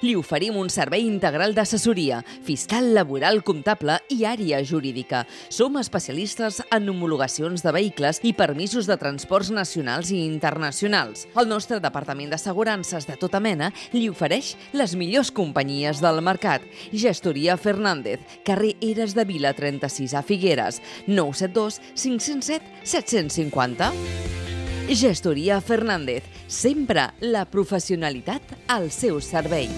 Li oferim un servei integral d'assessoria, fiscal, laboral, comptable i àrea jurídica. Som especialistes en homologacions de vehicles i permisos de transports nacionals i internacionals. El nostre departament d'assegurances de tota mena li ofereix les millors companyies del mercat. Gestoria Fernández, carrer Eres de Vila 36 a Figueres, 972 507 750. Gestoria Fernández, sempre la professionalitat al seu servei.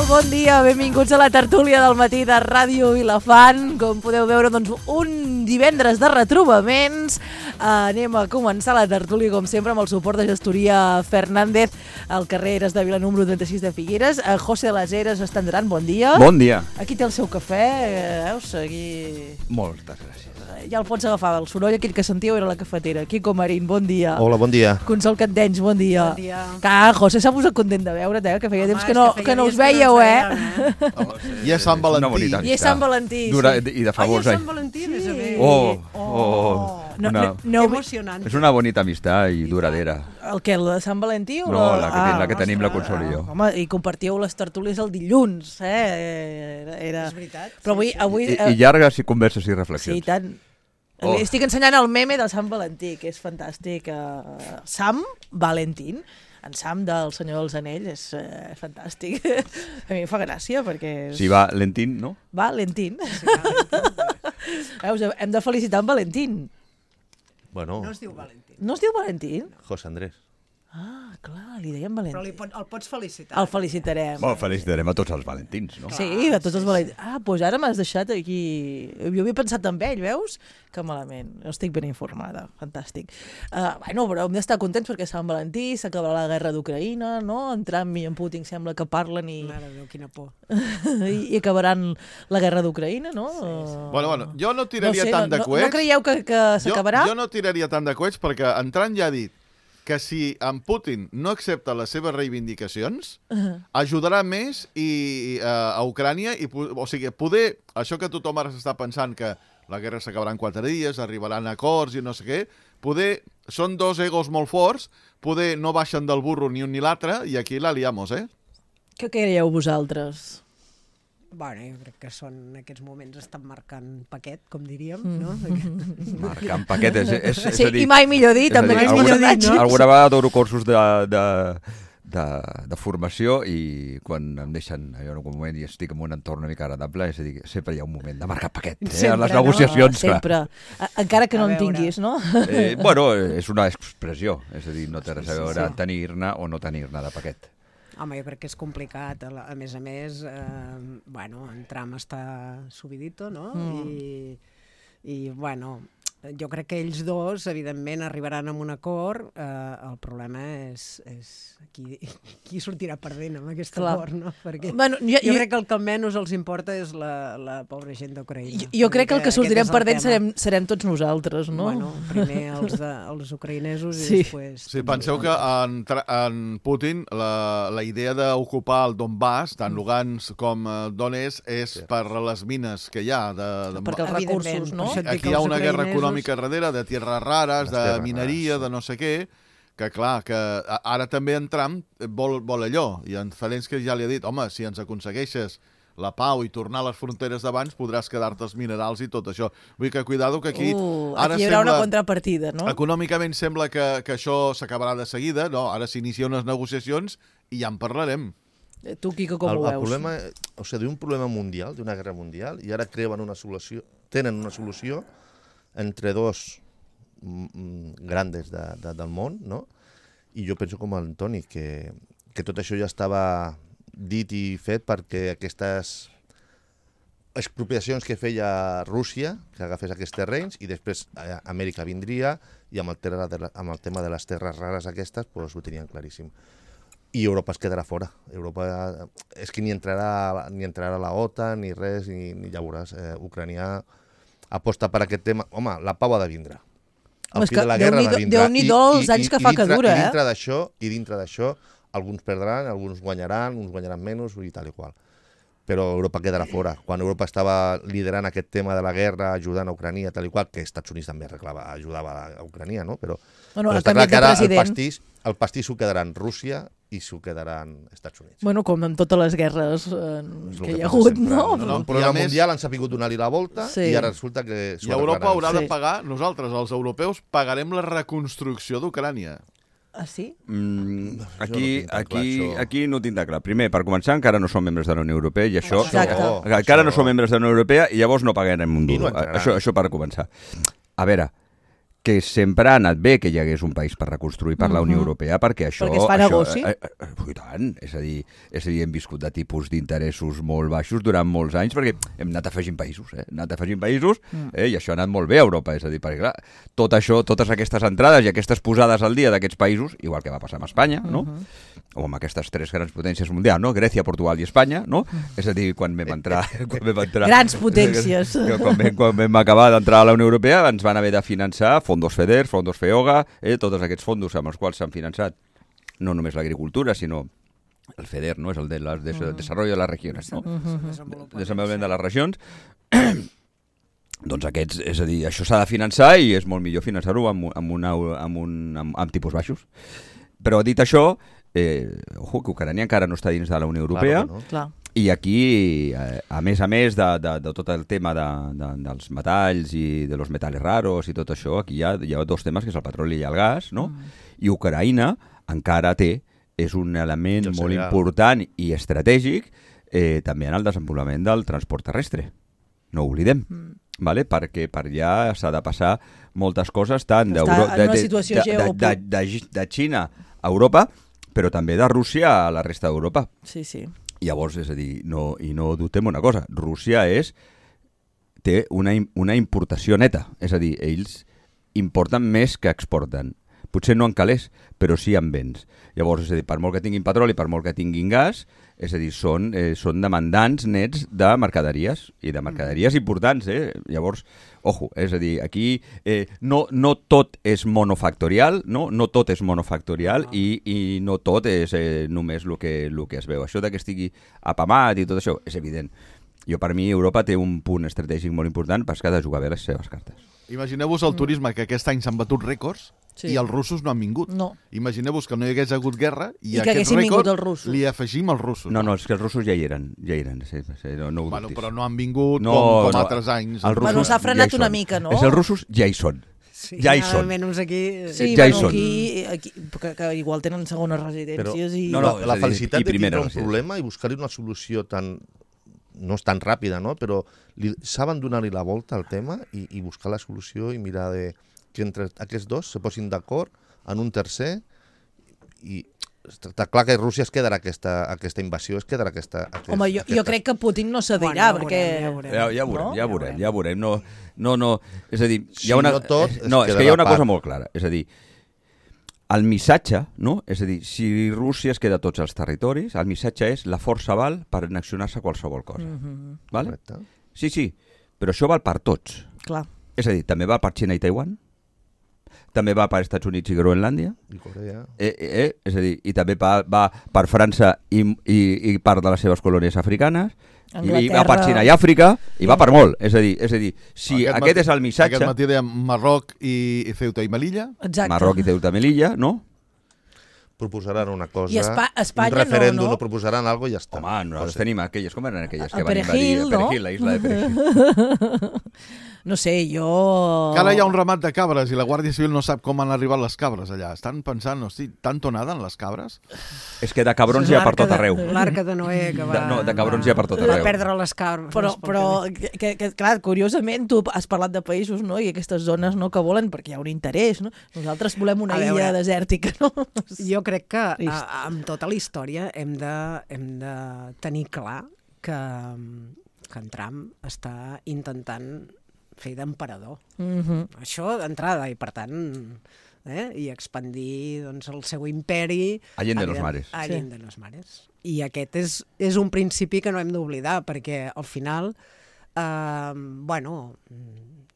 Bon dia, benvinguts a la tertúlia del matí de Ràdio Vilafant. Com podeu veure, doncs, un divendres de retrobaments. Anem a començar la tertúlia, com sempre, amb el suport de Gestoria Fernández al carrer Eres de Vila número 36 de Figueres. José de les Heres estendran, bon dia. Bon dia. Aquí té el seu cafè, veus? Aquí... Moltes gràcies. Ja el pots agafar, el soroll aquell que sentíeu era la cafetera. Quico Marín, bon dia. Hola, bon dia. Consol Candenys, bon dia. Bon dia. José s'ha posat content de veure't, que feia temps que no us feia veieu, I és Sant Valentí. I és Sant Valentí, I de favors, Sant Valentí, més a més. Emocionant. És una bonita amistat i duradera. El què, la de Sant Valentí? O No, la que tenim la Consol i jo. Home, i compartíeu les tertúlies el dilluns, És veritat. Però avui... I llargues i converses i reflexions. Sí, i tant. Estic ensenyant el meme del Sant Valentí, que és fantàstic. Sam Valentín, en Sam del Senyor dels Anells, és fantàstic. A mi em fa gràcia, perquè... Si va lentín, no? Valentín. Veus, hem de felicitar en Valentín. Bueno, No es diu Valentín. No es diu Valentín? José Andrés. Ah, clar, li deien Valentín. Però el pots felicitar. El felicitarem. Bueno, felicitarem a tots els valentins, no? Sí, a tots els valentins. Doncs ara m'has deixat aquí... Jo havia pensat en ell, veus? Que malament. No estic ben informada. Fantàstic. Però hem d'estar contents perquè Sant Valentí s'acabarà la guerra d'Ucraïna, no? En Trump i en Putin sembla que parlen i... Mare de Déu, quina por. I acabaran la guerra d'Ucraïna, no? Sí. Bueno, jo no tiraria tant de coets. No creieu que s'acabarà? Jo no tiraria tant de coets perquè en Trump ja ha dit que si en Putin no accepta les seves reivindicacions, ajudarà més a Ucrània, o sigui, poder, això que tothom ara s'està pensant que la guerra s'acabarà en 4 dies, arribaran acords i no sé què, poder, són dos egos molt forts, poder no baixen del burro ni un ni l'altre, i aquí la liamos, Què creieu vosaltres? Bueno, jo crec que en aquests moments estan marcant paquet, com diríem, no? Marcant paquet, és Sí, a dir... i mai millor dit, amb mai aquests millor dit, personatges. no? Alguna vegada dono cursos de formació i quan em deixen allò en algun moment i estic en un entorn una mica agradable, és a dir, sempre hi ha un moment de marcar paquet, Sempre, en les no? negociacions. clar. Sempre. Encara que no A en veure. tinguis, no? Bueno, és una expressió, és a dir, no té res a Sí, veure sí. tenir-ne o no tenir-ne de paquet. Home, jo crec que és complicat. A més, en Trump està subidito, no? I bueno, jo crec que ells dos, evidentment, arribaran a un acord. El problema és qui sortirà perdent amb aquest acord, no? Perquè Bueno, jo crec que el que menys els importa és la pobra gent d'Ucraïna. Jo crec que el que sortirem Aquest és el perdent tema. serem tots nosaltres, no? Bueno, primer els ucraïnesos Sí. i després... Sí, penseu que en Putin la idea d'ocupar el Donbass, tant Lugansk com Donetsk, és per les mines que hi ha. Perquè els recursos, no? Per això et dic Aquí que hi ha els una guerra ucraïnesos- econòmica darrere, de tierras rares, Les de terres mineria, rares, de no sé què, que clar, que ara també en Trump vol allò, i en Zelensky ja li ha dit, home, si ens aconsegueixes la pau i tornar a les fronteres d'abans, podràs quedar-te els minerals i tot això. Vull que cuidado que aquí... Aquí hi haurà una contrapartida, no? Econòmicament sembla que això s'acabarà de seguida, no? Ara s'inicien unes negociacions i ja en parlarem. Tu, Quico, com ho El veus? problema, o sigui, d'un problema mundial, d'una guerra mundial, i ara tenen una solució entre dos grandes del món, no? I jo penso com el Toni, que tot això ja estava dit i fet perquè aquestes expropiacions que feia Rússia, que agafés aquests terrenys, i després Amèrica vindria, i amb el tema de les terres rares aquestes, doncs ho tenien claríssim. I Europa es quedarà fora. Europa és que ni entrarà a la OTAN, ni res, ni ja veuràs. Ucrània aposta per aquest tema. Home, la pau ha de vindre. El fi de la guerra ha de vindre. Déu-n'hi-do els anys que fa que dura, I dintre d'això, alguns perdran, alguns guanyaran, uns guanyaran menys, i tal i qual. Però Europa quedarà fora. Quan Europa estava liderant aquest tema de la guerra, ajudant a Ucrània, tal i qual, que Estats Units també ajudava a Ucrània, no? Però està clar que ara el pastís s'ho quedaran Rússia i s'ho quedaran Estats Units. Bueno, com en totes les guerres que hi ha hagut, no? Però al Mundial han sabut donar-li la volta i ara resulta que... I Europa haurà de pagar, nosaltres, els europeus, pagarem la reconstrucció d'Ucrània. Ah, sí? Aquí no ho tinc de clar. Primer, per començar, encara no som membres de la Unió Europea i això... Encara no som membres de la Unió Europea i llavors no pagarem un duro. Això per començar. A veure, que sempre ha anat bé que hi hagués un país per reconstruir per la Unió Europea, perquè això... Perquè es fa negoci? I tant, és a dir, hem viscut de tipus d'interessos molt baixos durant molts anys, perquè hem anat afegint països, i això ha anat molt bé a Europa, és a dir, perquè clar, tot això, totes aquestes entrades i aquestes posades al dia d'aquests països, igual que va passar amb Espanya, no? O amb aquestes tres grans potències mundials, no? Grècia, Portugal i Espanya, no? És a dir, quan vam entrar... Grans potències. Quan vam acabar d'entrar a la Unió Europea ens van haver de finançar fondos FEDER, fondos FEOGA, tots aquests fondos amb els quals s'han finançat no només l'agricultura, sinó el FEDER, no? És el de Desarrollo de les Regiones, no? Desenvolupament de les regions. Doncs aquests, és a dir, això s'ha de finançar i és molt millor finançar-ho amb tipus baixos. Però dit això, que Ucrània encara no està dins de la Unió Europea, i aquí, a més de tot el tema dels metalls i de los metales raros i tot això, aquí hi ha dos temes, que és el petroli i el gas, no? I Ucraïna encara és un element molt important i estratègic també en el desenvolupament del transport terrestre. No ho oblidem. Perquè per allà s'ha de passar moltes coses tant de Xina a Europa, però també de Rússia a la resta d'Europa. Sí. Llavors, és a dir, no dubtem una cosa, Rússia té una importació neta, és a dir, ells importen més que exporten. Potser no en calés, però sí en béns. Llavors, és a dir, per molt que tinguin petroli, per molt que tinguin gas, és a dir, són demandants nets de mercaderies, i de mercaderies importants, Llavors, ojo, és a dir, aquí no tot és monofactorial, no tot és monofactorial i no tot és només el que es veu. Això que estigui apamat i tot això és evident. Per mi, Europa té un punt estratègic molt important perquè ha de jugar bé les seves cartes. Imagineu-vos el turisme, que aquest any s'han batut rècords i els russos no han vingut. Imagineu-vos que no hi hagués hagut guerra i aquest rècord li afegim als russos. No, és que els russos ja hi eren. No però no han vingut com altres anys. S'ha frenat una mica, no? Els russos ja hi són. Ja hi són. Ja hi són. Que igual tenen segones residències. La felicitat de tindre un problema i buscar-hi una solució tan... no és tan ràpida, no? Però saben donar-li la volta al tema i buscar la solució i mirar que entre aquests dos se posin d'acord en un tercer i està clar que Rússia es quedarà aquesta invasió, es quedarà aquesta... Home, jo crec que Putin no cedirà, perquè... Ja veurem. No, és a dir, hi ha una cosa molt clara, és a dir, el missatge, no? És a dir, si Rússia es queda tots els territoris, el missatge és la força val per annexionar-se qualsevol cosa. Vale? Sí, però això val per tots. Clar. És a dir, també va per Xina i Taiwan, també va per Estats Units i Groenlàndia, i Corea. És a dir, i també va per França i part de les seves colònies africanes, i va per Xina i Àfrica, i va per molt. És a dir, si aquest és el missatge... Aquest matí dèiem Marroc i Ceuta i Melilla. Exacte. Marroc i Ceuta i Melilla, no? proposaran una cosa, I Espanya un referèndum, no. no proposaran alguna cosa i ja està. Home, nosaltres tenim aquelles, com eren aquelles que El van invadir Perejil, no? Perejil, la isla de Perejil. No sé, jo... Que ara hi ha un ramat de cabres i la Guàrdia Civil no sap com han arribat les cabres allà. Estan pensant, hosti, tan tonada en les cabres? És que de cabrons hi ha per tot arreu. L'arca de Noé que va... No, de cabrons hi ha per tot arreu. Va perdre les cabres. Però clar, curiosament, tu has parlat de països, no?, i aquestes zones no que volen perquè hi ha un interès, no? Nosaltres volem una illa desèrtica, no? Jo crec que Trist. amb tota la història hem de tenir clar que en Trump està intentant fer d'emperador. Això d'entrada, i per tant... i expandir doncs, el seu imperi... Allende los mares. Allende los mares. I aquest és un principi que no hem d'oblidar, perquè al final,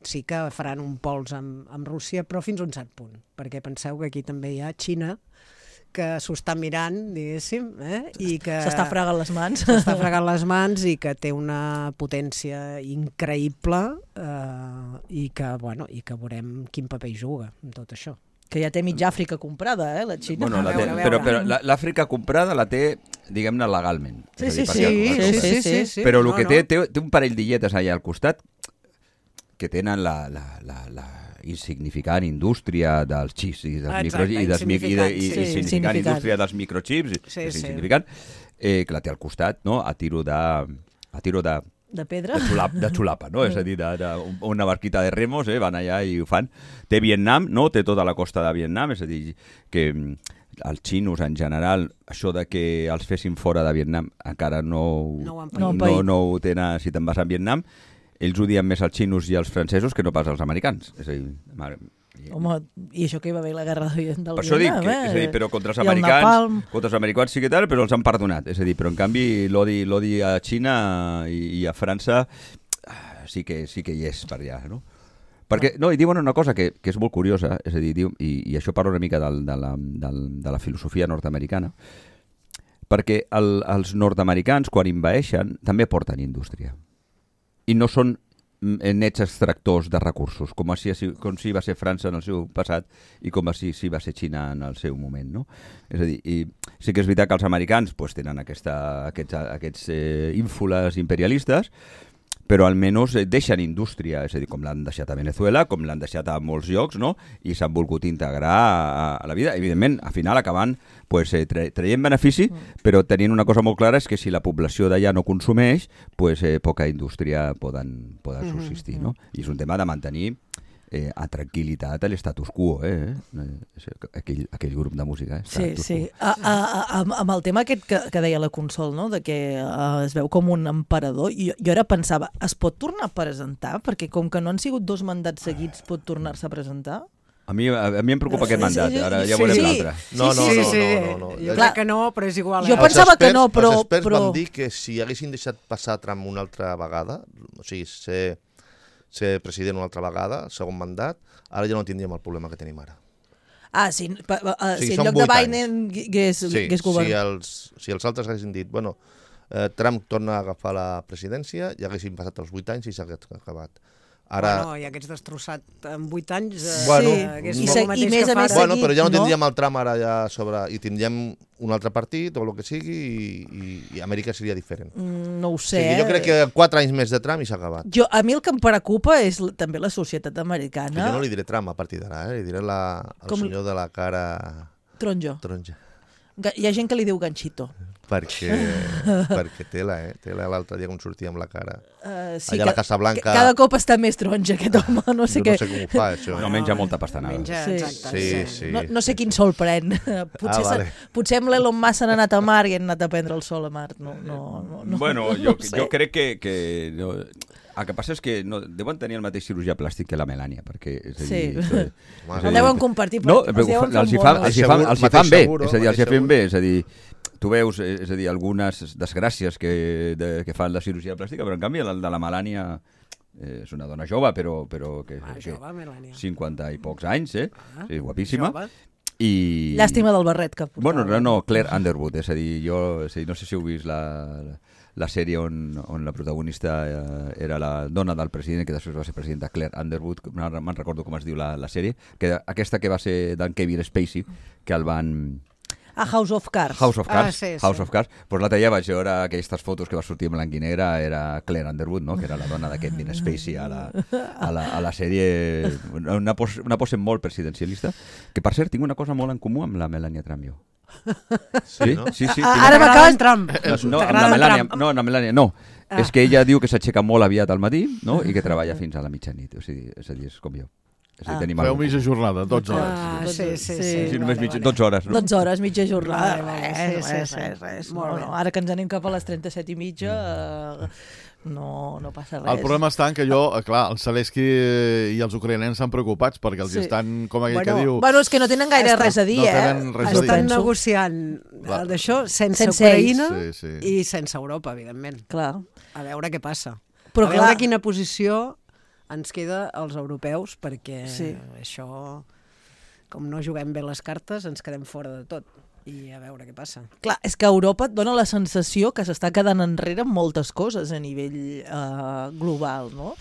sí que faran un pols amb Rússia, però fins a un cert punt, perquè penseu que aquí també hi ha Xina, que s'ho està mirant, diguéssim, i que... S'està fregant les mans. S'està fregant les mans i que té una potència increïble i que veurem quin paper hi juga en tot això. Que ja té mitja Àfrica comprada, la Xina. Bueno, A veure. però l'Àfrica comprada la té, diguem-ne, legalment. Sí. Però el que té un parell d'illetes allà al costat que tenen la insignificant indústria dels xips i dels insignificant indústria dels microchips, és insignificant, que la té al costat, no? a tiro de pedra? De xulapa, no? És a dir, una barquita de remos, van allà i ho fan. Té Vietnam, no? Té tota la costa de Vietnam, és a dir, que els xinos en general, això de que els fessin fora de Vietnam encara no ho tenen, si te'n vas a Vietnam, ells odien més els xinos i els francesos que no pas els americans. És a dir, home, i això que hi va haver la guerra del Vietnam, per això dic, és a dir, però contra els americans sí que tal, però els han perdonat. És a dir, però en canvi l'odi a Xina i a França sí que hi és per allà, no? Perquè, no, i diuen una cosa que és molt curiosa, és a dir, i això parla una mica de la filosofia nord-americana, perquè els nord-americans, quan envaeixen, també porten indústria. I no són nets extractors de recursos, com si va ser França en el seu passat i com si va ser Xina en el seu moment, no? És a dir, i sí que és veritat que els americans tenen aquests ínfules imperialistes, però almenys deixen indústria, és a dir, com l'han deixat a Venezuela, com l'han deixat a molts llocs, no? I s'han volgut integrar a la vida. Evidentment, al final acabant traient benefici, però tenint una cosa molt clara és que si la població d'allà no consumeix, poca indústria poden subsistir, no? I és un tema de mantenir a tranquil·litat a l'estatus quo, aquell grup de música. Sí. Amb el tema aquest que deia la Consol, no? De que es veu com un emperador, jo ara pensava, es pot tornar a presentar? Perquè com que no han sigut 2 mandats seguits, pot tornar-se a presentar? A mi em preocupa aquest mandat, ara ja veurem l'altre. No. Jo crec que no, però és igual. Jo pensava que no, però... Els experts van dir que si haguessin deixat passar Trump una altra vegada, o sigui, ser president una altra vegada, segon mandat, ara ja no tindríem el problema que tenim ara. Si en lloc de Biden hagués governat. Si els altres haguessin dit, Trump torna a agafar la presidència, ja haguessin passat els 8 anys i s'hagués acabat. Ara... ja hagués destrossat en 8 anys, hagués fet el mateix que fa ara. Però ja no tindríem el Trump ara ja sobre... I tindríem un altre partit o el que sigui i Amèrica seria diferent. No ho sé. Jo crec que 4 anys més de Trump i s'ha acabat. A mi el que em preocupa és també la societat americana. Jo no li diré Trump a partir d'ara, li diré el senyor de la cara... Taronja. Hi ha gent que li diu ganxito. Perquè tela, l'altre dia com sortia amb la cara. Allà a la Casa Blanca... Cada cop està més taronja aquest home, no sé què. No sé com ho fa, això. No menja molta pastanada. Sí. No sé quin sol pren. Potser amb l'Elon Musk han anat a Mar i han anat a prendre el sol a Mar. Bueno, jo crec que el que passa és que deuen tenir el mateix cirurgià plàstic que la Melania, perquè... El deuen compartir, però els hi fan bé, és a dir, tu veus, és a dir, algunes desgràcies que fan la cirurgia plàstica, però en canvi el de la Melania és una dona jove, però que 50 i pocs anys, sí, guapíssima. Llàstima del barret que portava. Bueno, no, Claire Underwood, és a dir, no sé si heu vist la sèrie on la protagonista era la dona del president, que després va ser presidenta, Claire Underwood, me'n recordo com es diu la sèrie, que aquesta que va ser d'en Kevin Spacey, que el van House of Cards. House of Cards. sí, sí. House of Cards. Pues l'altre dia vaig veure aquestes fotos que va sortir en blanc i negre, era Claire Underwood, no? Que era la dona de Kevin Spacey a la sèrie, una pose molt presidencialista, que per cert tinc una cosa molt en comú amb la Melania Trump, jo. Sí, no? Sí. Ara m'acabes... Trump. No, amb la Melania, no, amb la Melania, no. És que ella diu que s'aixeca molt aviat al matí, no? I que treballa fins a la mitjanit. O sigui, és a dir, és com jo. És a dir, tenim Feu alguna mitja jornada, 12 hores. Sí, només 12 hores, no? 12 hores, mitja jornada. Vale, Res. Molt bé. Ara que ens anem cap a les 37 i mitja, no passa res. El problema està en que clar, el Zelensky i els ucraïnens estan preocupats perquè els estan, com aquell que diu... Bueno, és que no tenen gaire res a dir, no tenen res a dir. Estan negociant d'això sense Ucraïna i sense Europa, evidentment. Clar. A veure què passa. Però a veure quina posició ens queda als europeus, perquè això, com no juguem bé les cartes, ens quedem fora de tot. I a veure què passa. Clar, és que Europa et dona la sensació que s'està quedant enrere en moltes coses a nivell global, no?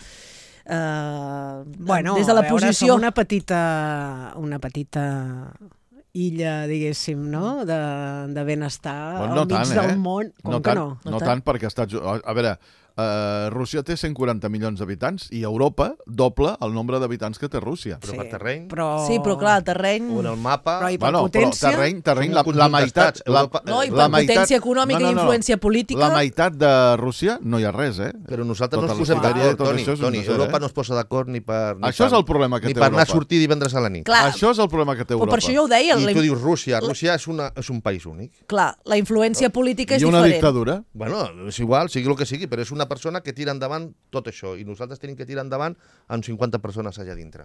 Bueno, des de la posició... som una petita illa, diguéssim, no? De benestar al mig del món. Com que no? No tant, perquè a veure, Rússia té 140 milions d'habitants i Europa doble el nombre d'habitants que té Rússia. Però per terreny... Sí, però clar, el terreny... O en el mapa... Però i per potència... terreny la meitat... No, i per potència econòmica i influència política... La meitat de Rússia no hi ha res, eh? Però nosaltres no ens posem d'acord, Toni. Europa no es posa d'acord ni per... Això és el problema que té Europa. Ni per anar a sortir divendres a la nit. Això és el problema que té Europa. Per això jo ho deia. I tu dius Rússia. Rússia és un país únic. Clar, la influència política és diferent. I una dictadura? Bueno, és igual, sigui el que sigui, però és una persona que tira endavant tot això, i nosaltres tenim que tirar endavant amb 50 persones allà dintre,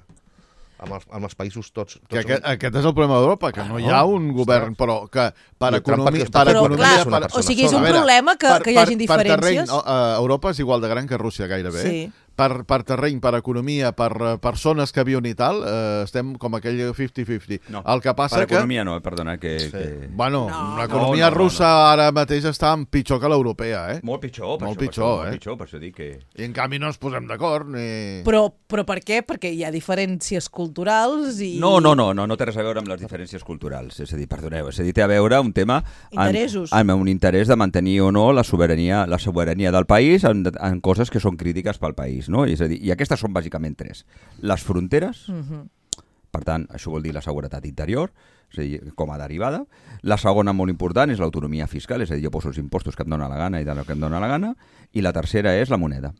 amb els països tots. Aquest és el problema d'Europa, que no hi ha un govern, però que per economia... O sigui, és un problema que hi hagi diferències. Per terreny, Europa és igual de gran que Rússia gairebé. Sí. Per terreny, per economia, per persones que viuen i tal, estem com aquell 50-50. No, el que passa per economia no, perdona. Bueno, l'economia russa ara mateix està pitjor que l'europea, eh? Molt pitjor, molt pitjor, per això dic que... I en canvi no ens posem d'acord, ni... Però per què? Perquè hi ha diferències culturals i... No té res a veure amb les diferències culturals. És a dir, perdoneu, té a veure un tema... Interessos. Amb un interès de mantenir o no la sobirania del país en coses que són crítiques pel país. No? És a dir, i aquestes són bàsicament tres. Les fronteres, per tant, això vol dir la seguretat interior, és a dir, com a derivada. La segona, molt important, és l'autonomia fiscal, és a dir, jo poso els impostos que em dóna la gana i del que em dóna la gana. I la tercera és la moneda.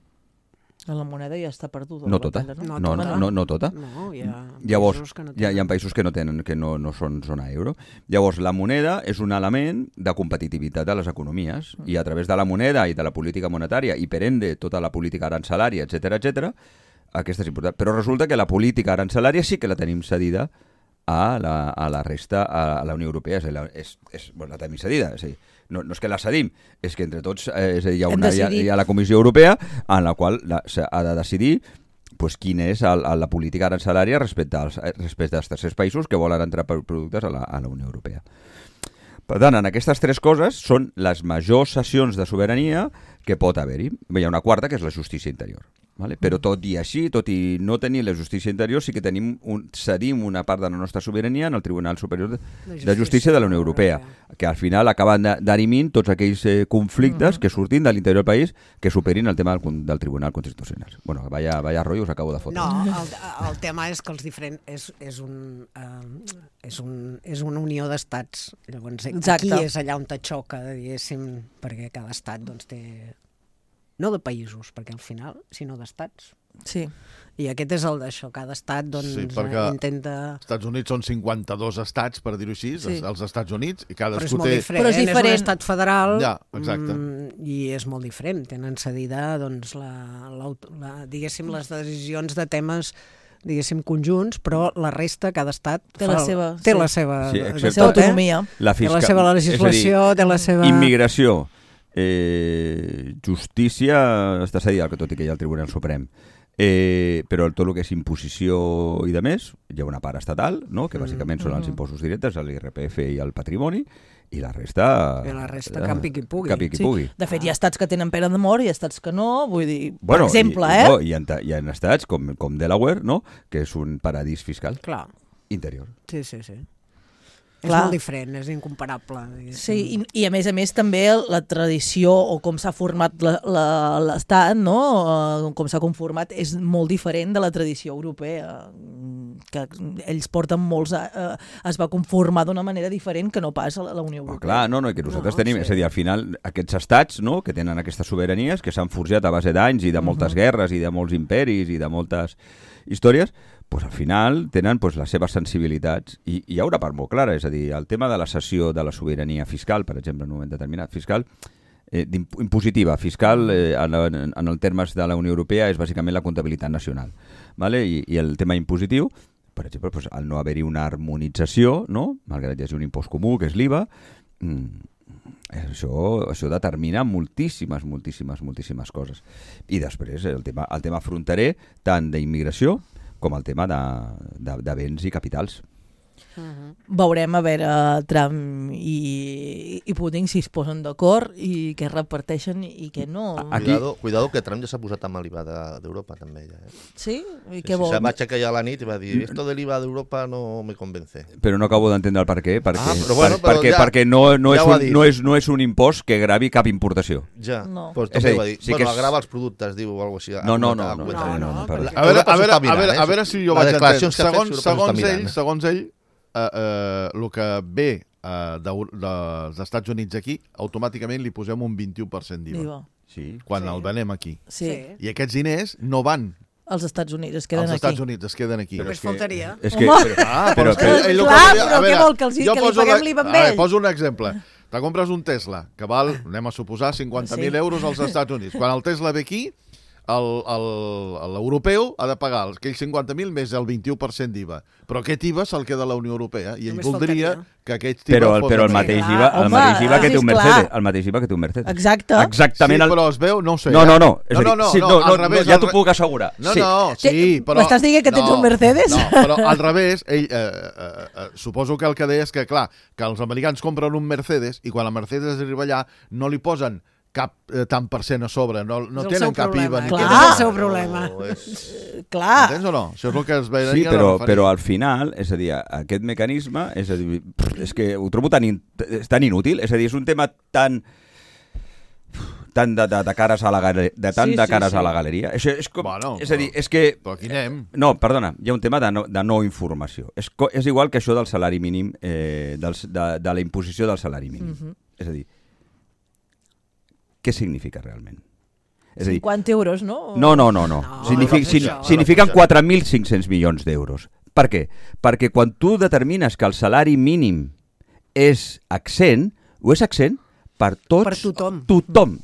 La moneda ja està perduda. No tota. No tota. No, llavors, hi ha països que no tenen, que no són zona euro. Llavors, la moneda és un element de competitivitat de les economies i a través de la moneda i de la política monetària i per ende tota la política arancelària, etc, aquesta és important. Però resulta que la política arancelària sí que la tenim cedida a la resta, a la Unió Europea. La tenim cedida, és a dir, no és que la cedim, és que entre tots hi ha la Comissió Europea en la qual ha de decidir quina és la política arancelària respecte als tercers països que volen entrar per productes a la Unió Europea. Per tant, en aquestes tres coses són les majors cessions de sobirania que pot haver-hi. Hi ha una quarta, que és la justícia interior. Vale? Però tot i així, tot i no tenir la justícia interior, sí que cedim una part de la nostra sobirania en el Tribunal Superior de Justícia de la Unió Europea, que al final acaben d'arimint tots aquells conflictes que surtin de l'interior del país que superin el tema del Tribunal Constitucional. Bueno, vaya rotllo us acabo de fotre. No, el tema és que els diferents és una unió d'estats. Llavors, aquí és allà on te xoca, diguéssim, perquè cada estat doncs, té... No de països, perquè al final, sinó d'estats. Sí. I aquest és el d'això, cada estat doncs, intenta... Els Estats Units són 52 estats, per dir-ho així, els Estats Units, i cadascú té... Però és molt diferent, és un estat federal exacte. I és molt diferent. Tenen cedida doncs, diguéssim, les decisions de temes diguéssim, conjunts, però la resta, cada estat té la seva autonomia. Té la seva legislació, té la seva... Immigració, justícia, està cedida, tot i que hi ha el Tribunal Suprem. Però tot el que és imposició i de més, hi ha una part estatal, no? Que bàsicament són els impostos directes, l'IRPF i el patrimoni, i la resta... campi qui pugui. De fet, hi ha estats que tenen pena de mort i estats que no, vull dir, per exemple, Hi ha estats com Delaware, no? Que és un paradís fiscal interior. Sí. És molt diferent, és incomparable. Sí, i a més també la tradició o com s'ha format l'Estat, no? Com s'ha conformat, és molt diferent de la tradició europea, que ells porten molts... es va conformar d'una manera diferent que no pas a la Unió Europea. Clar, no, i que nosaltres tenim, és a dir, al final, aquests estats, no?, que tenen aquestes sobiranies, que s'han forjat a base d'anys i de moltes guerres i de molts imperis i de moltes històries, pues, al final tenen pues, les seves sensibilitats i hi ha una part molt clara, és a dir, el tema de la cessió de la sobirania fiscal, per exemple, en un moment determinat, fiscal, impositiva, fiscal, en el termes de la Unió Europea, és bàsicament la comptabilitat nacional. ¿Vale? I el tema impositiu, per exemple, pues, al no haver-hi una harmonització, no? Malgrat hi hagi un impost comú, que és l'IVA, això determina moltíssimes coses. I després el tema fronterer, tant d'immigració com el tema de béns i capitals. Veurem a veure Trump i Putin si es posen d'acord i què reparteixen i què no. Cuidado que Trump ja s'ha posat amb l'IVA d'Europa també. Ja, Sí? I què vol? Se va aixecar ja a la nit i va dir esto del IVA d'Europa no me convence. Però no acabo d'entendre el per què. Perquè no és un impost que gravi cap importació. Ja, No. pues És a dir, va dir, sí que agrava els productes, diu, o alguna cosa així. No. A veure si jo vaig entendre. Segons ell, el que ve dels Estats Units aquí, automàticament li posem un 21% d'IVA. Sí. Quan el venem aquí. Sí. I aquests diners no van Els Estats Units es queden als aquí. Estats Units, es queden aquí. Només faltaria. És que, Però què vol que els digui? Que li paguem l'IVA amb ell? Poso un exemple. Te compres un Tesla, que val, anem a suposar, 50.000 euros als Estats Units. Quan el Tesla ve aquí, l'europeu ha de pagar aquells 50.000 més el 21% d'IVA. Però aquest IVA se'l queda a la Unió Europea i ell Només voldria faltaria. que aquest IVA però el mateix IVA, que té un Mercedes. El mateix IVA que té un Mercedes. Exacte. Exactament. Sí, però es veu, no ho sé. No. És a dir, al revés. Ja t'ho puc assegurar. Sí, però... M'estàs dient que tens un Mercedes? No, però al revés, ell, suposo que el que deia és que, clar, que els americans compren un Mercedes i quan el Mercedes arriba allà no li posen cap tant per cent a sobre, no tenen cap IVA. Clar, és el seu problema. Clar. Entens o no? Això és el que es veia. Sí, però al final, és a dir, aquest mecanisme, és a dir, és que ho trobo tan inútil, és a dir, és un tema tan de cares a la galeria. Això és com... Bueno, és a dir, és que... Però aquí anem. No, perdona, hi ha un tema de no informació. És igual que això del salari mínim, de la imposició del salari mínim. És a dir, què significa realment? És a dir, 50 euros, no? No. Signifiquen 4.500 milions d'euros. Per què? Perquè quan tu determines que el salari mínim és accent, ho és accent per tots,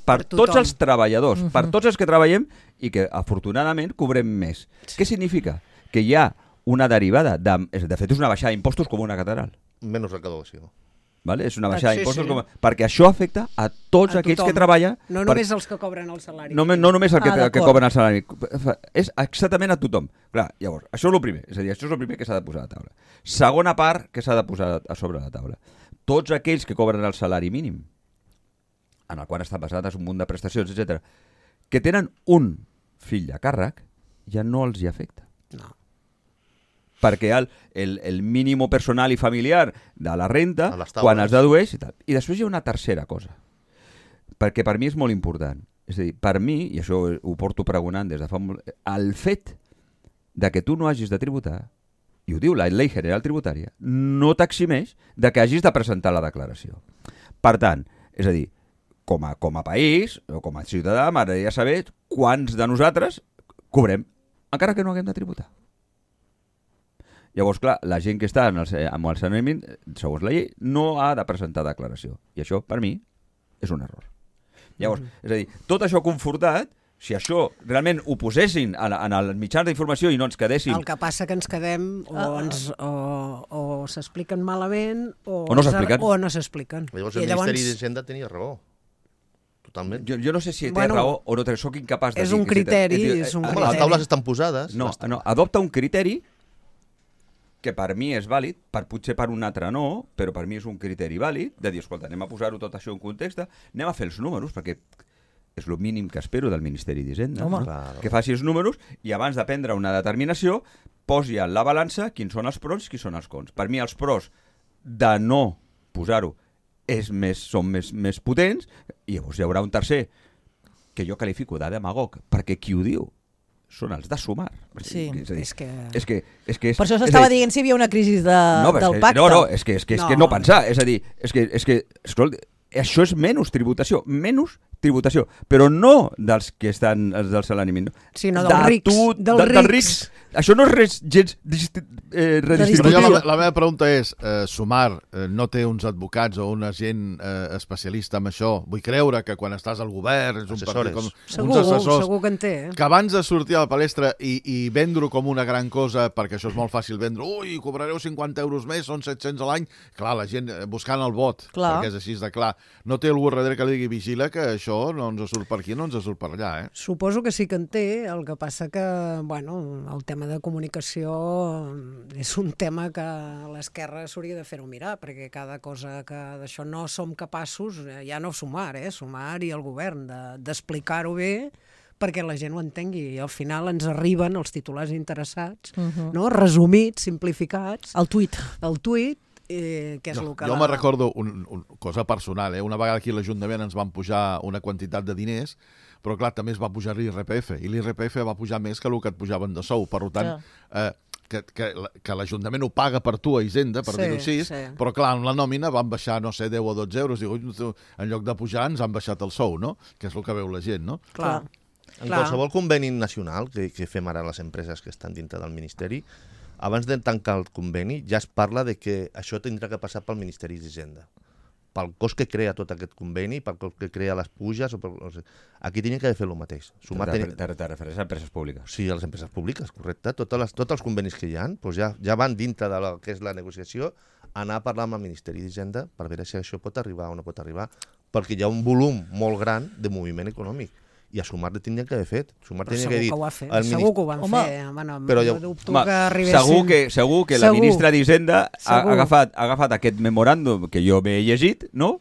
per tots els treballadors, per tots els que treballem i que afortunadament cobrem més. Què significa? Que hi ha una derivada, de fet és una baixada d'impostos com una catedral. Menys recaudació. Vale? És una baixada d'impostos perquè això afecta a tots aquells que treballen. No només els que cobren el salari. No només el que cobren el salari. És exactament a tothom. Clar, llavors, això és el primer. És a dir, això és el primer que s'ha de posar a la taula. Segona part que s'ha de posar a sobre la taula. Tots aquells que cobren el salari mínim, en el qual estan basades un munt de prestacions, etc., que tenen un fill a càrrec, ja no els hi afecta. No. Perquè el mínim personal i familiar de la renta, quan es dedueix i tal. I després hi ha una tercera cosa, perquè per mi és molt important. És a dir, per mi, i això ho porto pregonant des de fa molt... El fet de que tu no hagis de tributar, i ho diu la Llei General Tributària, no t'eximeix de que hagis de presentar la declaració. Per tant, és a dir, com a país, o com a ciutadà, m'agradaria saber quants de nosaltres cobrem, encara que no haguem de tributar. Llavors, clar, la gent que està amb el salari mínim, segons la llei, no ha de presentar declaració. I això, per mi, és un error. Llavors, és a dir, tot això confortat, si això realment ho posessin en els mitjans d'informació i no ens quedéssim... El que passa que ens quedem o s'expliquen malament o no s'expliquen. Llavors el Ministeri d'Hisenda tenia raó. Totalment. Jo no sé si té raó o no té, soc incapaç de dir... És un criteri. Les taules estan posades. No, adopta un criteri que per mi és vàlid, potser per un altre no, però per mi és un criteri vàlid, de dir, escolta, anem a posar-ho tot això en context, anem a fer els números, perquè és el mínim que espero del Ministeri d'Hisenda, no? Que faci els números i abans de prendre una determinació posi en la balança quins són els pros i quins són els cons. Per mi els pros de no posar-ho són més potents, i llavors hi haurà un tercer que jo qualifico de demagog, perquè qui ho diu són els de Sumar. Sí. És que per això s'estava dient si hi havia una crisi del pacte. No, és que no pensar. És a dir, escolta, això és menys tributació, però no dels que estan del salari mínim, sinó dels rics. Això no és res gens redistributiu. La meva pregunta és, Sumar no té uns advocats o una gent especialista en això? Vull creure que quan estàs al govern és un partit com uns assessors. Segur que en té. Que abans de sortir a la palestra i vendre-ho com una gran cosa, perquè això és molt fàcil vendre, cobrareu 50 euros més, són 700 a l'any. Clar, la gent buscant el vot, perquè és així de clar. No té algú darrere que li digui vigila que això no ens surt per aquí, no ens surt per allà. Suposo que sí que en té, el que passa que, el tema de comunicació és un tema que l'esquerra s'hauria de fer-ho mirar, perquè cada cosa que d'això no som capaços, ja no Sumar i el govern, d'explicar-ho bé perquè la gent ho entengui. I al final ens arriben els titulars interessats, resumits, simplificats. El tuit. Que és el que... Jo me recordo una cosa personal, una vegada aquí a l'Ajuntament ens van pujar una quantitat de diners, però clar, també es va pujar l'IRPF, i l'IRPF va pujar més que el que et pujaven de sou. Per tant, que l'Ajuntament ho paga per tu a Hisenda, per dir-ho així, però clar, en la nòmina van baixar, 10 o 12 euros, diu, en lloc de pujar ens han baixat el sou, no? Que és el que veu la gent, no? Clar. En qualsevol conveni nacional que fem ara les empreses que estan dintre del Ministeri, abans de tancar el conveni ja es parla de que això tindrà que passar pel Ministeri d'Hisenda. Pel cost que crea tot aquest conveni, pel cost que crea les puges... Aquí tenia que fer el mateix. Te refereix a empreses públiques? Sí, a les empreses públiques, correcte. Tots els convenis que hi ha ja van dintre de que és la negociació, anar a parlar amb el Ministeri d'Hisenda per veure si això pot arribar o no pot arribar, perquè hi ha un volum molt gran de moviment econòmic. I a Sumar li tindrien que haver fet. Segur que ho ha fet. Segur que ho van fer. Però segur que la ministra d'Hisenda ha agafat aquest memoràndum que jo m'he llegit, no?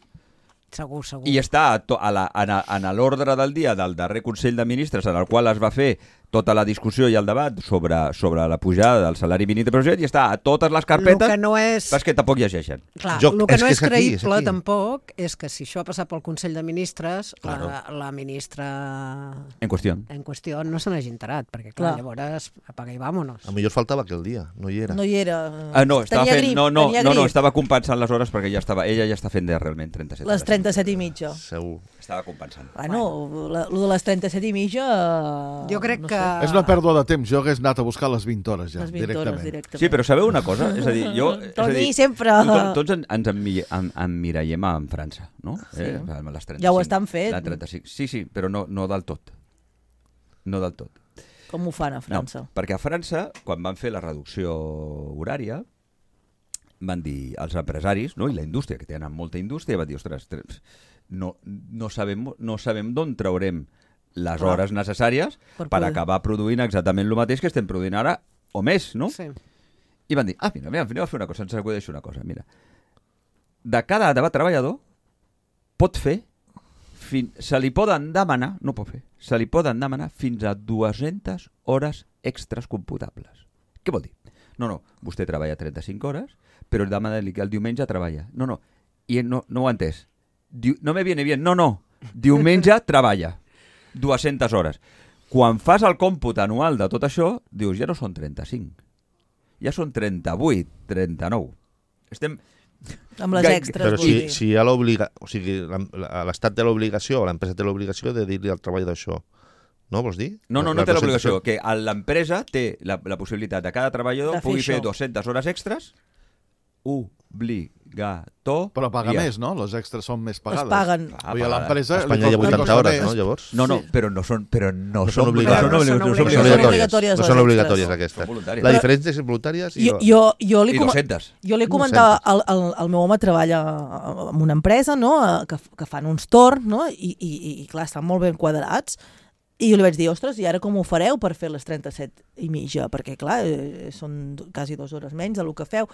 Segur. I està en l'ordre del dia del darrer Consell de Ministres, en el qual es va fer tota la discussió i el debat sobre la pujada del salari mínim de i està a totes les carpetes, però és que tampoc llegeixen. Clar, el que no és creïble tampoc és que si això ha passat pel Consell de Ministres, la ministra en qüestió no se n'hagi enterat, perquè clar, llavors apaga i vámonos. A millor faltava aquell dia, no hi era. No hi era. Estava compensant les hores perquè ella ja està fent realment 37 hores. Les 37 i mitja. Segur. Estava compensant. Lo de les 37 i mitja... Jo crec que... És una pèrdua de temps. Jo hagués anat a buscar les 20 hores ja, directament. Sí, però sabeu una cosa? És a dir, Toni, sempre... Tots ens emmirallem en França, no? Sí. Les 35, ja ho estan fent. La 35. Sí, però no del tot. No del tot. Com ho fan a França? No, perquè a França, quan van fer la reducció horària, van dir els empresaris, no? I la indústria, que tenen molta indústria, van dir, ostres, no sabem d'on traurem les hores necessàries per acabar produint exactament el mateix que estem produint ara, o més, no? Sí. I van dir, mira, anem a fer una cosa, ens acudeix una cosa, mira. De cada treballador pot fer, se li poden demanar, no pot fer, se li poden demanar fins a 200 hores extres computables. Què vol dir? No, vostè treballa 35 hores, però el demana-li que el diumenge treballa. No, i no ho ha entès. No me viene bien, no, diumenge treballa 200 hores. Quan fas el còmput anual de tot això, dius, ja no són 35, ja són 38, 39. Estem... Amb les extres. Però si hi ha l'obligació, o sigui, l'Estat té l'obligació, o l'empresa té l'obligació de dir-li al treballador això. No, vols dir? No té l'obligació, que l'empresa té la possibilitat de cada treballador pugui fer 200 hores extres, obligatori. Però paga més, no? Les extres són més pagades. Es paguen. A Espanya hi ha 80 hores, no, llavors? No, però no són obligatòries. No són obligatòries aquestes. La diferència és voluntàries i 200. Jo li comentava, el meu home treballa en una empresa, no?, que fan uns torns, no?, i clar, estan molt ben quadrats, i jo li vaig dir, ostres, i ara com ho fareu per fer les 37 i mitja? Perquè clar, són quasi 2 hores menys del que feu.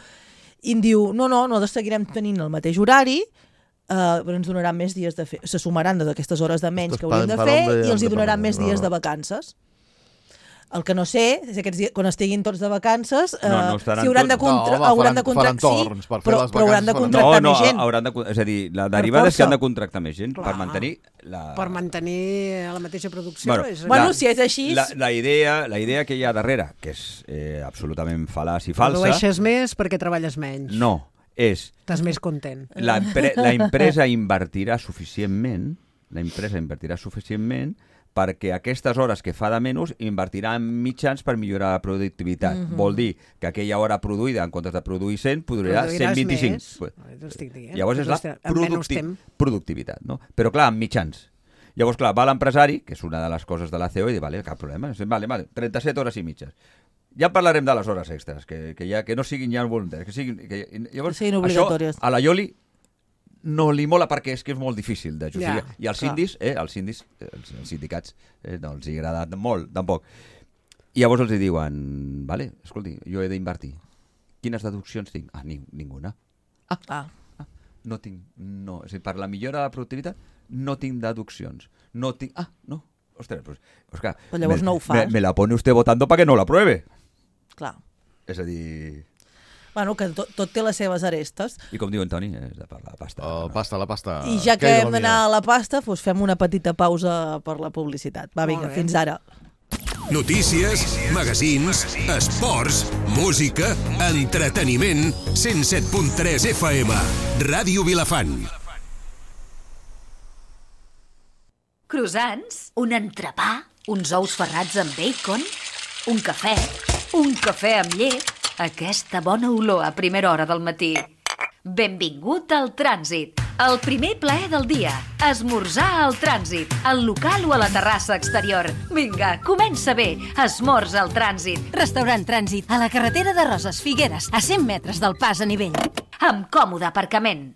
I em diu, no, nosaltres seguirem tenint el mateix horari, però ens donaran més dies de fer. Se sumaran d'aquestes hores de menys que hauríem de fer i els hi donaran més dies de vacances. El que no sé és aquests dies, quan estiguin tots de vacances, No estaran si hauran de tots. hauran de faran contractar... torns per fer les però hauran de vacances, contractar No, més gent. és a dir, la derivada és que força. han de contractar més gent per Clar. mantenir la... Per mantenir la mateixa producció. Bueno, és... Bueno, si és així... La idea que hi ha darrere, que és absolutament fal·laç i falsa... Produeixes més perquè treballes menys. No, és... Estàs més content. La empresa invertirà suficientment perquè aquestes hores que fa de menys invertirà en mitjans per millorar la productivitat. Vol dir que aquella hora produïda, en comptes de produir 100, produirà Produiràs 125. més. T'ho estic dient. Llavors és la Amb menys temps. productivitat, no? Però clar, amb mitjans. Llavors, clar, va l'empresari, que és una de les coses de la CEO, i diu, vale, cap problema, vale, 37 hores i mitges. Ja parlarem de les hores extres, que no siguin ja voluntaris, que siguin... Llavors, siguin obligatòries. Això a la Ioli no li mola perquè és que és molt difícil de justificar. Ja, I els sindicats, no els hi agrada molt, tampoc. I llavors els diuen, vale, escolti, jo he d'invertir. Quines deduccions tinc? Ninguna. No tinc, no. És a dir, per la millora de la productivitat no tinc deduccions. No tinc... no. Ostres, Òscar, Però llavors no ho fas. Me la pone usted votando para que no la pruebe. Clar. És a dir... Bueno, que tot té les seves arestes. I com diu en Toni, és de per la pasta. La pasta. I ja que Què hem d'anar a la pasta, doncs fem una petita pausa per la publicitat. Va, vinga, bé. fins ara. Notícies, magazins, esports, música, entreteniment, 107.3 FM, Ràdio Vilafant. Croissants, un entrepà, uns ous ferrats amb bacon, un cafè amb llet, aquesta bona olor a primera hora del matí. Benvingut al Trànsit, el primer plaer del dia. Esmorzar al Trànsit, al local o a la terrassa exterior. Vinga, comença bé, esmorza al Trànsit. Restaurant Trànsit, a la carretera de Roses Figueres, a 100 metres del pas a nivell. Amb còmode aparcament.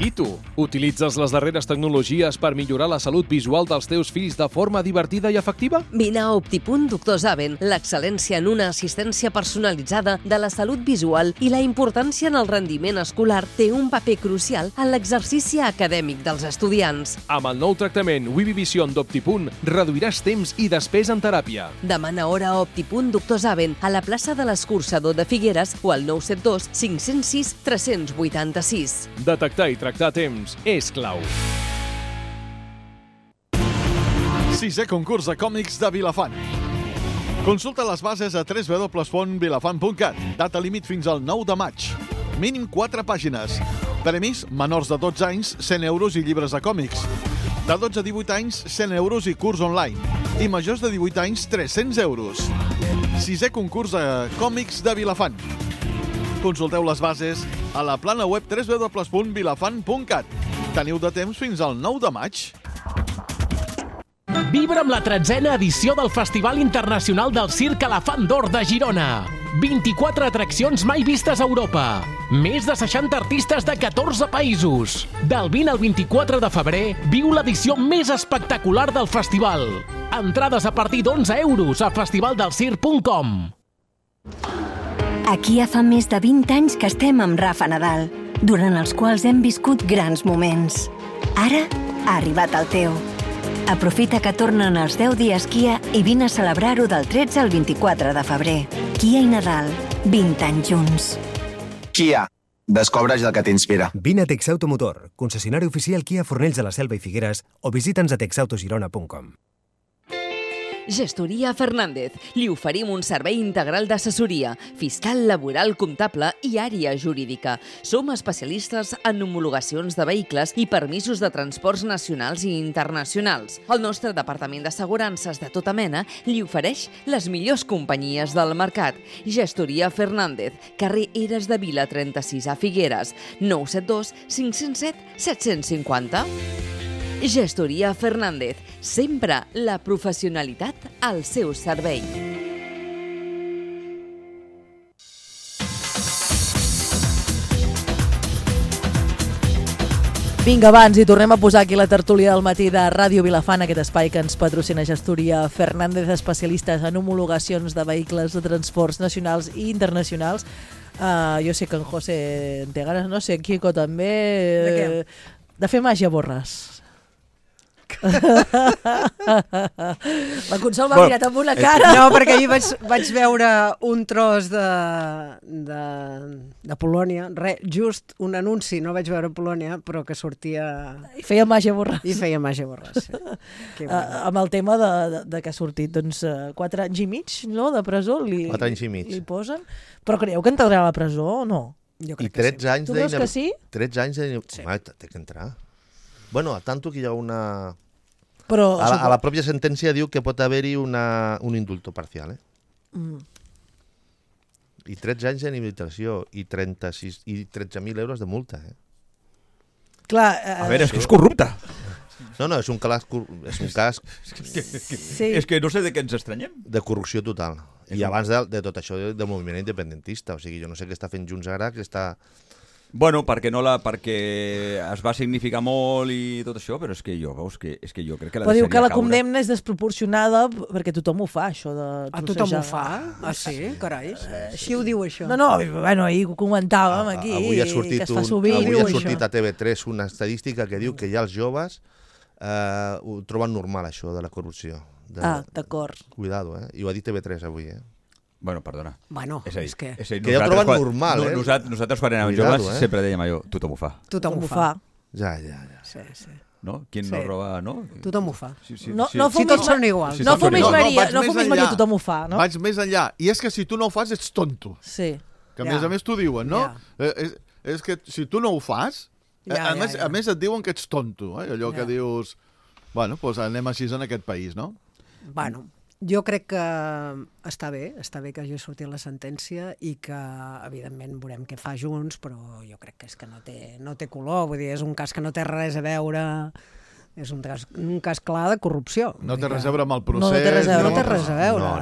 I tu, utilitzes les darreres tecnologies per millorar la salut visual dels teus fills de forma divertida i efectiva? Vine a Optipunt Doctor Zaven, l'excel·lència en una assistència personalitzada de la salut visual i la importància en el rendiment escolar té un paper crucial en l'exercici acadèmic dels estudiants. Amb el nou tractament Vivivision d'Optipunt reduiràs temps i despesa en teràpia. Demana hora a Optipunt Doctor Zaven a la plaça de l'Escurçador de Figueres o al 972 506 386. Detectar i tractar a temps és clau. 6è concurs de còmics de Vilafant. Consulta les bases a www.vilafant.cat. Data límit fins al 9 de maig. Mínim 4 pàgines. Premis, menors de 12 anys, 100 euros i llibres de còmics. De 12 a 18 anys, 100 euros i curs online. I majors de 18 anys, 300 euros. 6è concurs de còmics de Vilafant. Consulteu les bases a la plana web www.vilafant.cat. Teniu de temps fins al 9 de maig. Vibra amb la 13a edició del Festival Internacional del Circ Elefant d'Or de Girona. 24 atraccions mai vistes a Europa. Més de 60 artistes de 14 països. Del 20 al 24 de febrer, viu l'edició més espectacular del festival. Entrades a partir d'11 euros a festivaldelcirc.com. Aquí ja fa més de 20 anys que estem amb Rafa Nadal, durant els quals hem viscut grans moments. Ara ha arribat el teu. Aprofita que tornen els 10 dies Kia i vine a celebrar-ho del 13 al 24 de febrer. Kia i Nadal, 20 anys junts. Kia, descobreix el que t'inspira. Vine a Texautomotor, concessionari oficial Kia Fornells de la Selva i Figueres, o visita'ns a texautogirona.com. Gestoria Fernández. Li oferim un servei integral d'assessoria, fiscal, laboral, comptable i àrea jurídica. Som especialistes en homologacions de vehicles i permisos de transports nacionals i internacionals. El nostre departament d'assegurances de tota mena li ofereix les millors companyies del mercat. Gestoria Fernández, carrer Eres de Vila 36 a Figueres, 972 507 750. Gestoria Fernández, sempre la professionalitat al seu servei. Vinga, abans, i tornem a posar aquí la tertúlia del matí de Ràdio Vilafant, aquest espai que ens patrocina Gestoria Fernández, especialistes en homologacions de vehicles de transports nacionals i internacionals. Jo sé que en José té ganes, no sé, Quico també... De què? De fer màgia borres. La Consol m'ha mirat amb una cara. No, perquè ahir vaig veure un tros de Polònia, just un anunci, no vaig veure Polònia, però que sortia... I feia Màgia Borràs. I feia Màgia Borràs, sí. Amb el tema de que ha sortit 4 anys i mig, no?, de presó, 4 anys i mig. Li posen. Però creieu que entrarà a la presó o no? Jo crec que sí. Tu creus que sí? 13 anys de... Sí. Té que entrar. Bueno, a tanto que hi ha una... Però, a la pròpia sentència diu que pot haver-hi un indulto parcial, I 13 anys d'inhabilitació i 13.000 euros de multa, Clar... A veure, és que és corrupte. No, és un cas... És que no sé de què ens estranyem. De corrupció total. I abans de tot això del moviment independentista. O sigui, jo no sé què està fent Junts ara, que està... Bueno, perquè es va significar molt i tot això, però és que jo crec que la però diu que la caure. condemna és desproporcionada perquè tothom ho fa, això de tothom ho fa? Ah, sí? Carai. Així ho diu, això. No, bueno, ahir ho comentàvem aquí, avui ha sortit que es fa sovint. Avui ha sortit a TV3 una estadística que diu que ja els joves ho troben normal, això de la corrupció. D'acord. Cuidado, I ho ha dit TV3 avui, Bueno, perdona. Bueno, és que ja ho troben normal, Nosaltres quan érem joves sempre dèiem allò, tothom ho fa. Tothom ho fa. Ja. Sí. No? Qui no roba, no? Tothom ho fa. No tots són iguals. No fumis Maria, tothom ho fa, no? Vaig més enllà. I és que si tu no ho fas ets tonto. Sí. Que a més t'ho diuen, no? És que si tu no ho fas, a més et diuen que ets tonto. Allò que dius, bueno, doncs anem així en aquest país, no? Bueno, jo crec que està bé que hagi sortit la sentència i que, evidentment, veurem què fa Junts, però jo crec que és que no té color, vull dir, és un cas que no té res a veure, és un cas clar de corrupció. No té res a veure amb el procés. No té res a veure.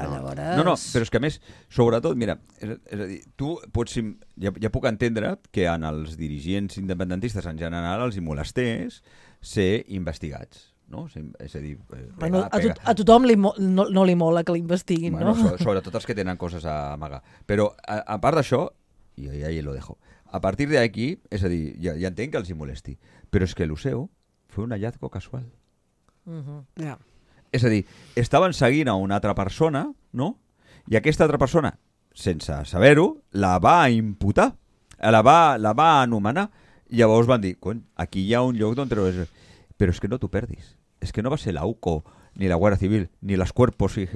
No, però és que a més, sobretot, mira, és a dir, tu pots, ja puc entendre que en els dirigents independentistes en general els hi molestés ser investigats. No? És a dir, a tothom no li mola que l'investiguin, no? Sobretot els que tenen coses a amagar. Però, a part d'això, i ahí lo dejo, a partir d'aquí, és a dir, ja entenc que els hi molesti, però és que el seu fue un hallazgo casual. És a dir, estaven seguint a una altra persona, no? I aquesta altra persona, sense saber-ho, la va imputar, la va anomenar, i llavors van dir, aquí hi ha un lloc on treure... Però és que no t'ho perdis. És que no va ser la UCO, ni la Guardia Civil, ni los cuerpos y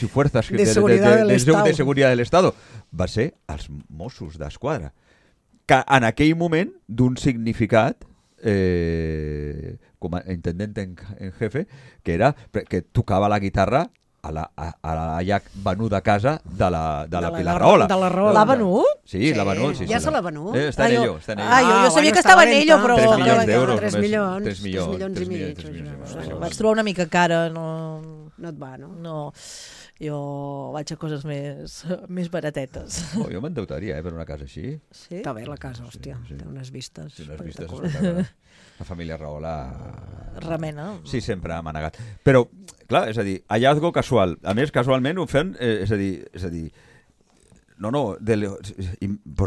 fuerzas de seguridad del Estado. Va ser els Mossos d'Esquadra. Que en aquell moment, d'un significat, com a intendent en jefe, que era que tocava la guitarra a la ja venuda casa de la Pilar Rahola. L'ha venut? Sí, l'ha venut. Ja se l'ha venut? Està en ello. Jo sabia que estava en ello, però... 3 milions d'euros. 3 milions i mig. Vaig trobar una mica cara, no... No et va, no? No, jo vaig a coses més baratetes. Jo m'endeutaria, per una casa així. Sí? Està bé la casa, hòstia. Té unes vistes. Sí, unes vistes espectaculars. La família Rahola... Remena. Sí, sempre m'ha negat. Però, clar, és a dir, hallazgo casual. A més, casualment ho fem, és a dir... No, per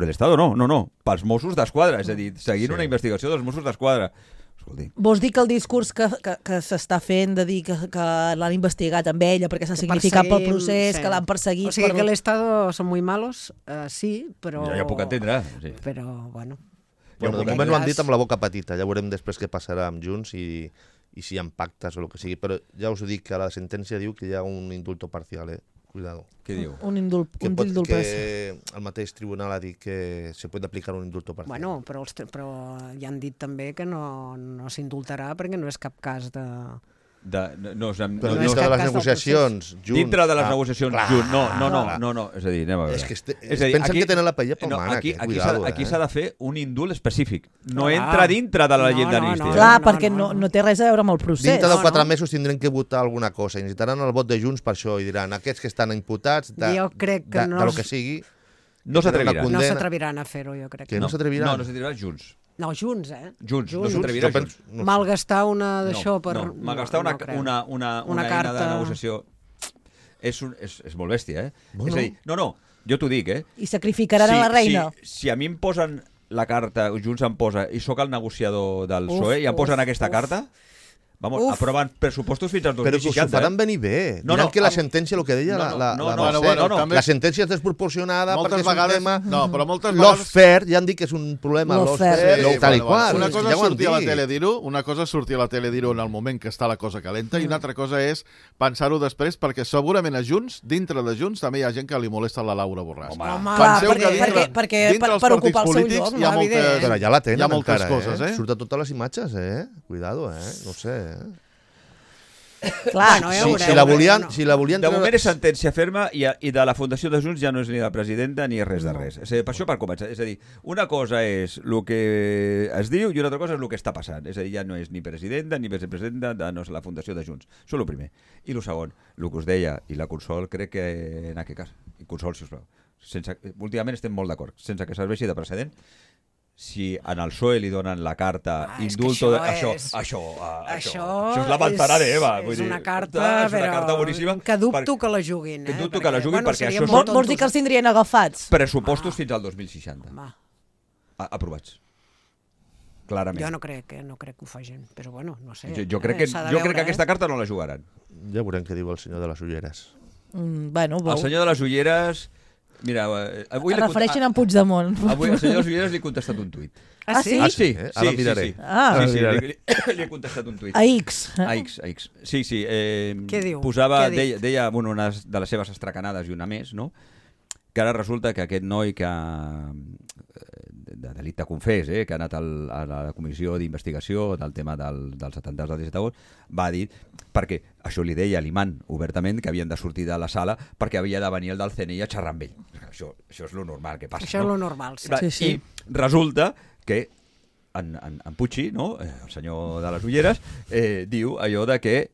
l'Estado no, pels Mossos d'Esquadra, és a dir, seguint una investigació dels Mossos d'Esquadra. Escolti. Vols dir que el discurs que s'està fent de dir que l'han investigat amb ella perquè s'ha significat pel procés, que l'han perseguit... O sigui, que l'Estado són muy malos, sí, però... Ja puc entendre, sí. Però, bueno... Bueno, de moment ho han dit amb la boca petita, ja veurem després què passarà amb Junts i si hi ha pactes o el que sigui, però ja us ho dic que la sentència diu que hi ha un indulto parcial, Cuidado. Què diu? Un indult parcial. Que el mateix tribunal ha dit que se pot aplicar un indulto parcial. Bueno, però ja han dit també que no s'indultarà perquè no és cap cas de... Però dintre de les negociacions, Junts... Dintre de les negociacions, Junts. No. És a dir, anem a veure. És que pensen que tenen la paella pel mànec. Aquí s'ha de fer un indult específic. No entra dintre de la llei d'amnistia. Clar, perquè no té res a veure amb el procés. Dintre de 4 mesos tindrem que votar alguna cosa. I necessitaran el vot de Junts per això. I diran, aquests que estan imputats, jo crec que del que sigui... No s'atreviran. No s'atreviran a fer-ho, jo crec. Que no s'atreviran? No s'atreviran Junts. No, Junts, Junts, no s'atrevirà Junts. Malgastar una d'això per... No, malgastar una eina de negociació és molt bèstia, És a dir, jo t'ho dic, I sacrificaran a la reina. Si a mi em posen la carta, Junts em posa, i sóc el negociador del PSOE, i em posen aquesta carta, Vamos, aproven pressupostos fins al 2060. Però que us ho faran venir bé. Mirant que la sentència, el que deia la sentència és desproporcionada perquè és un tema... No, però moltes vegades... L'Osfer, ja han dit que és un problema, l'Osfer, tal i qual. Una cosa és sortir a la tele dir-ho, una cosa és sortir a la tele dir-ho en el moment que està la cosa calenta i una altra cosa és pensar-ho després, perquè segurament a Junts, dintre de Junts, també hi ha gent que li molesta la Laura Borràs. Penseu que dintre els partits polítics hi ha moltes... Però ja la tenen encara, Surt a totes les imatges, Cuidado, no sé, Clar, si la volien... De moment és sentència ferma i de la Fundació de Junts ja no és ni la presidenta ni res de res. Per això per començar. És a dir, una cosa és el que es diu i una altra cosa és el que està passant. És a dir, ja no és ni presidenta ni vicepresidenta de la Fundació de Junts. Això és el primer. I el segon, el que us deia, i la Consol crec que en aquest cas, i Consol, si us plau, últimament estem molt d'acord, sense que serveixi de precedent, si en el PSOE li donen la carta indulto... Això és la manzana d'Eva. És una carta boníssima. Que dubto que la juguin. Que dubto que la juguin perquè això són... Vols dir que els tindrien agafats? Pressupostos fins al 2060. Aprovats. Clarament. Jo no crec que ho facin, però bueno, no sé. Jo crec que aquesta carta no la jugaran. Ja veurem què diu el senyor de les ulleres. El senyor de les ulleres... Mira, avui es refereixen a Puigdemont. Avui al senyor Ulleres li he contestat un tuit. Ah, sí? Sí. Ara miraré. Li he contestat un tuit. A X. A X. Sí. Què diu? Deia una de les seves estracanades i una més, no? Que ara resulta que aquest noi de delicte confés, que ha anat a la comissió d'investigació del tema dels atemptats del 17 d'agost, va dir, perquè això li deia a l'imant obertament, que havien de sortir de la sala perquè havia de venir el del CNI a xerrar amb ell. Això és lo normal que passa. Això és lo normal, sí. I resulta que en Puigci, no? El senyor de les ulleres, diu allò de que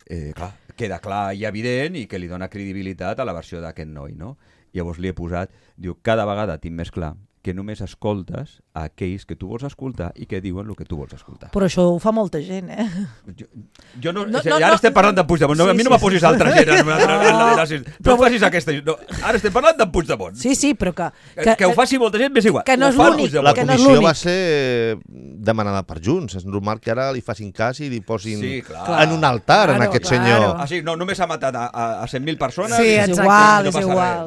queda clar i evident i que li dona credibilitat a la versió d'aquest noi, no? Llavors li he posat, diu, cada vegada tinc més clar que només escoltes a aquells que tu vols escoltar i que diuen el que tu vols escoltar. Però això ho fa molta gent, Jo no, ara estem parlant d'en Puigdemont. A mi no me posis altra gent. No facis aquesta... Ara estem parlant d'en Puigdemont. Sí, però que ho faci molta gent, m'és igual. Que no és l'únic. La comissió va ser demanada per Junts. És normal que ara li facin cas i li posin en un altar en aquest senyor. Sí, no, només ha matat a 100.000 persones. Sí, és igual.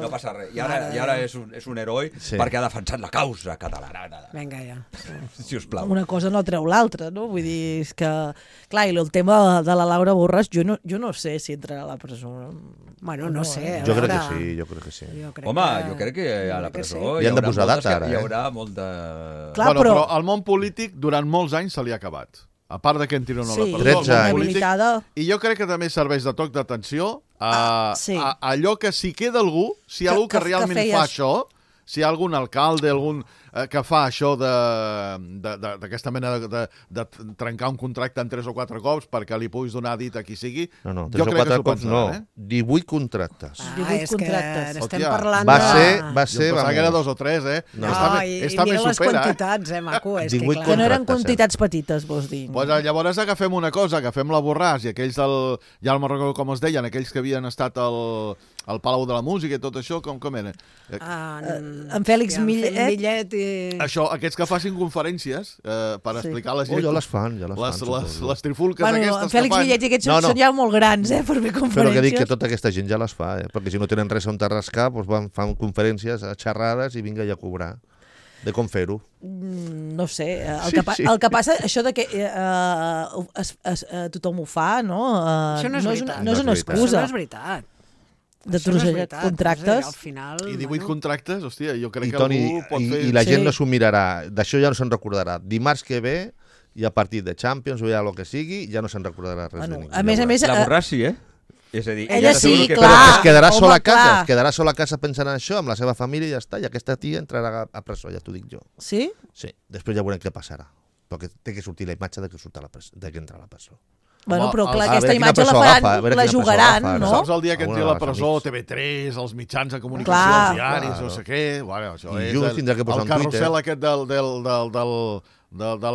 No passa res. I ara és un heroi perquè ha defensat la causa catalana. Vinga, ja. Si us plau. Una cosa no treu l'altra, no? Vull dir, és que... Clar, i el tema de la Laura Borràs, jo no sé si entrarà a la presó. Bueno, no sé. Jo crec que sí. Home, jo crec que a la presó hi han de posar data, ara. Hi haurà molta... Clar, però al món polític durant molts anys se li ha acabat. A part de que entrin o no la presó. 13 anys. I jo crec que també serveix de toc d'atenció a allò que si queda algú, si hi ha algú que realment fa això, si hi ha algun alcalde, algun que fa això d'aquesta mena de trencar un contracte en 3 o 4 cops perquè li puguis donar dit a qui sigui, no, 3 o 4 cops no, 18 contractes. 18 contractes. Estem parlant va ser, jo pensava que era 2 o 3, està més les quantitats, maco, és que clar. Que no eren quantitats petites, vols dir. Pues llavors agafem una cosa, agafem la Borràs i aquells ja no me'n recordo com es deien, aquells que havien estat al Palau de la Música i tot això, com eren? En Fèlix Millet i... Això, aquests que facin conferències per explicar a la gent... Ja les fan. Les trifulques aquestes que fan. En Fèlix Millet i aquests són ja molt grans, per fer conferències. Però que dic que tota aquesta gent ja les fa, perquè si no tenen res on rascar, fan conferències, xerrades i vinga ja a cobrar. De com fer-ho. No sé, el que passa, això de que tothom ho fa, no? Això no és veritat. No és una excusa. Això no és veritat. De trossejar contractes. I 18 contractes, hòstia, jo crec que algú pot fer... I la gent no s'ho mirarà, d'això ja no se'n recordarà. Dimarts que ve, hi ha partit de Champions o hi ha el que sigui, ja no se'n recordarà res de ningú. A més... La Borràs sí, És a dir, ella sí, clar. Però es quedarà sola a casa, a casa pensant en això, amb la seva família i ja està, i aquesta tia entrarà a presó, ja t'ho dic jo. Sí? Sí, després ja veurem què passarà, perquè té que sortir la imatge de que entra a la presó. Bueno, però clar, aquesta imatge la jugaran, no? Saps el dia que entri a la presó, TV3, els mitjans de comunicació, els diaris, no sé què... Bueno, això és el carrusel aquest de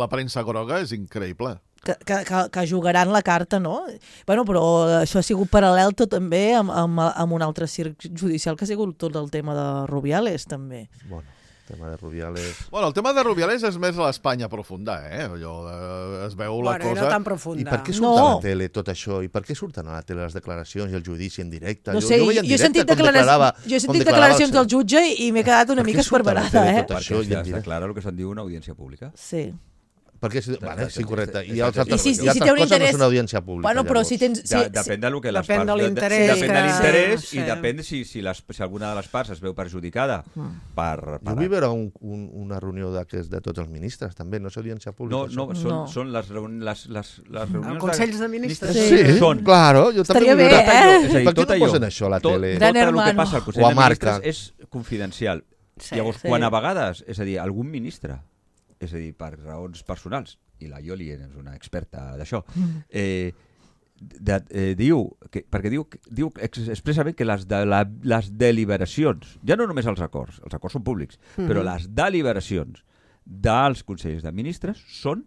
la premsa groga, és increïble. Que jugaran la carta, no? Bueno, però això ha sigut paral·lel tot també amb un altre circ judicial que ha sigut tot el tema de Rubiales, també. Bueno, tema de Rubiales... Bueno, el tema de Rubiales és més a l'Espanya profunda, Allò, es veu la cosa... Bueno, no tan profunda. I per què surt a la tele tot això? I per què surten a la tele les declaracions i el judici en directe? No sé, jo he sentit declaracions del jutge i m'he quedat una mica esparverada, Perquè es declara el que se'n diu una audiència pública. Sí. Perquè, sí, correcte. I altres coses no són audiència pública. Bueno, però si tens... Depèn del que les parts... Depèn de l'interès. I depèn si alguna de les parts es veu perjudicada per... Jo vull veure una reunió de tots els ministres, també, no és audiència pública. No, són les reunions... Els consells de ministres. Sí, claro. Estaria bé, Per què no posen això a la tele? Tot el que passa al Consell de Ministres és confidencial. Llavors, quan a vegades, és a dir, algun ministre, és a dir, per raons personals, i la Ioli és una experta d'això, perquè diu expressament que les deliberacions, ja no només els acords són públics, però les deliberacions dels consells de ministres són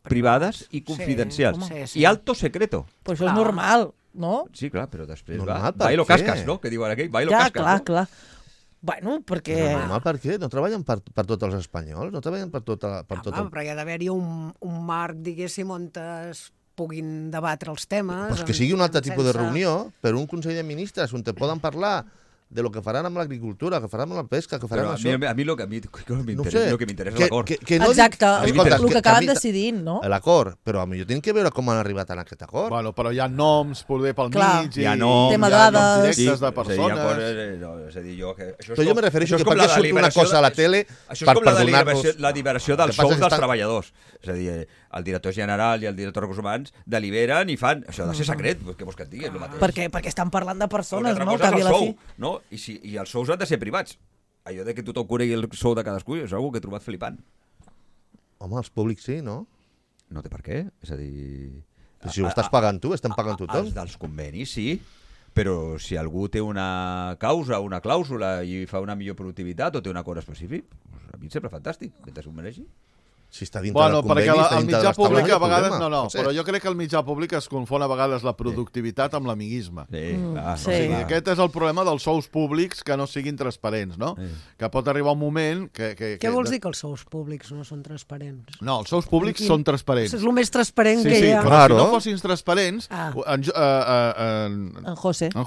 privades i confidencials. I alto secreto. Però això és normal, no? Sí, clar, però després va bailo cascas, no? Que diuen aquell, bailo cascas. Clar. Bueno, perquè... Normal, per què? No treballen per tots els espanyols? No treballen per tot el... Però hi ha d'haver-hi un marc, diguéssim, on es puguin debatre els temes... Pues que sigui un altre tipus de reunió per un Consell de Ministres on te poden parlar de lo que faran amb l'agricultura, que faran amb la pesca, que faran amb això... A mi el que m'interessa és l'acord. Exacte, el que acaben decidint, no? L'acord, però potser tenen que veure com han arribat a aquest acord. Bueno, però hi ha noms poder pel mig, hi ha noms directes de persones... És a dir, però jo me refereixo que per què surt una cosa a la tele per donar-nos... La liberació dels sous dels treballadors. És a dir, el director general i el director de recursos humans deliberen i fan... Això ha de ser secret, què vols que et digui? Perquè estan parlant de persones, no? Una altra cosa és el sou, no? I els sous han de ser privats. Allò de que tothom conegui el sou de cadascú és una que he trobat flipant. Home, els públics sí, no? No té per què, és a dir... Si ho estàs pagant tu, estem pagant tothom. Els dels convenis, sí, però si algú té una causa, una clàusula i fa una millor productivitat o té un acord específic, a mi em sembla fantàstic, mentre s'ho mereixi. Si està dintre del conveni, perquè el mitjà públic a vegades... No, però jo crec que el mitjà públic es confon a vegades la productivitat amb l'amiguisme. O sigui, aquest és el problema dels sous públics que no siguin transparents, no? Que pot arribar un moment que... Què vols dir que els sous públics no són transparents? No, els sous públics són transparents. És el més transparent que hi ha. Però si no fossin transparents... En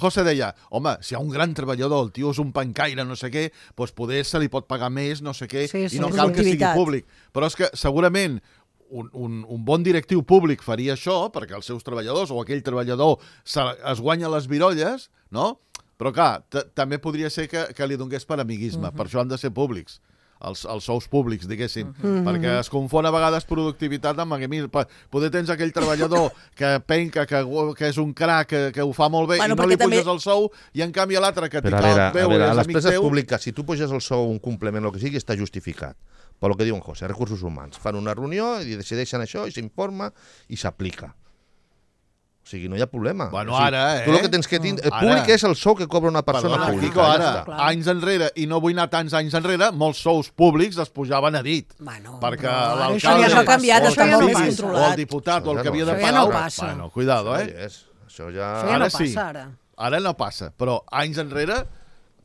José deia, home, si hi ha un gran treballador, el tio és un pancaire, no sé què, doncs poder se li pot pagar més, no sé què, i no cal que sigui públic. Però és que segurament un bon directiu públic faria això perquè els seus treballadors o aquell treballador es guanya les virolles, no? Però clar, també podria ser que li donés per amiguisme, per això han de ser públics, els sous públics, diguéssim, perquè es confon a vegades productivitat amb amiguisme. Poder tens aquell treballador que penca, que és un crac, que ho fa molt bé i no li puges el sou, i en canvi l'altre que t'hi cal veure a les empreses públiques, si tu puges el sou, un complement, el que sigui, està justificat. Per el que diu en José, recursos humans. Fan una reunió i decideixen això i s'informa i s'aplica. O sigui, no hi ha problema. Bueno, ara, Tu el que tens que tindre... El públic és el sou que cobra una persona pública. Ara, anys enrere, i no vull anar tants anys enrere, molts sous públics es pujaven a dit. Perquè l'alcalde... Això ha canviat, està molt més controlat. O el diputat, o el que havia de pagar... Això ja no passa. Bueno, cuidado, Això ja no passa, ara. Ara no passa, però anys enrere...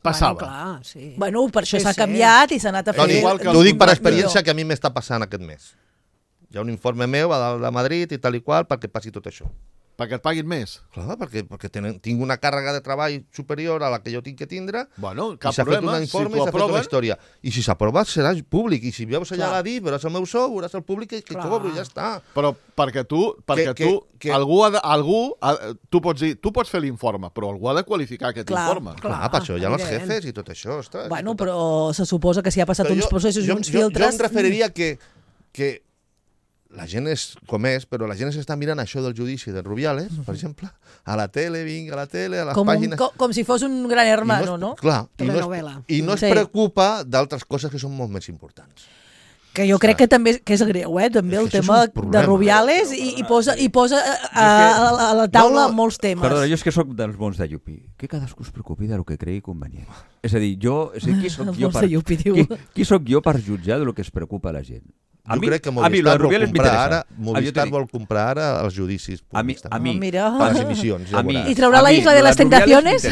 passava. Bueno, clar, sí. Bueno, per això s'ha canviat i s'ha anat a fer... T'ho dic per experiència que a mi m'està passant aquest mes. Hi ha un informe meu a dalt de Madrid i tal i qual perquè passi tot això. Perquè et paguin més? Clar, perquè tinc una càrrega de treball superior a la que jo tinc que tindre, cap i s'ha fet un informe i s'ha fet una història. I si s'aprova serà públic, i si veus allà a dir, veuràs el meu sou, veuràs el públic que cobro i ja està. Però perquè tu pots fer l'informe, però algú ha de qualificar aquest informe. Clar, per això hi ha els jefes i tot això. Bueno, però se suposa que si ha passat uns processos i uns filtres... Jo em referiria que la gent és com és, però la gent s'està mirant això del judici de Rubiales, per exemple, a la tele, vinga, a la tele, a les pàgines... Com si fos un gran hermano, no? Clar, i no es preocupa d'altres coses que són molt més importants. Que jo crec que també és greu, també el tema de Rubiales i posa a la taula molts temes. Perdona, jo és que sóc dels bons de Llupi. Que cadascú es preocupi del que cregui convenient. És a dir, qui sóc jo per jutjar del que es preocupa la gent? Jo crec que Movistar vol comprar ara els judicis públics. A mi. Mira. A les emissions. I traurà la Isla de les Tentaciones?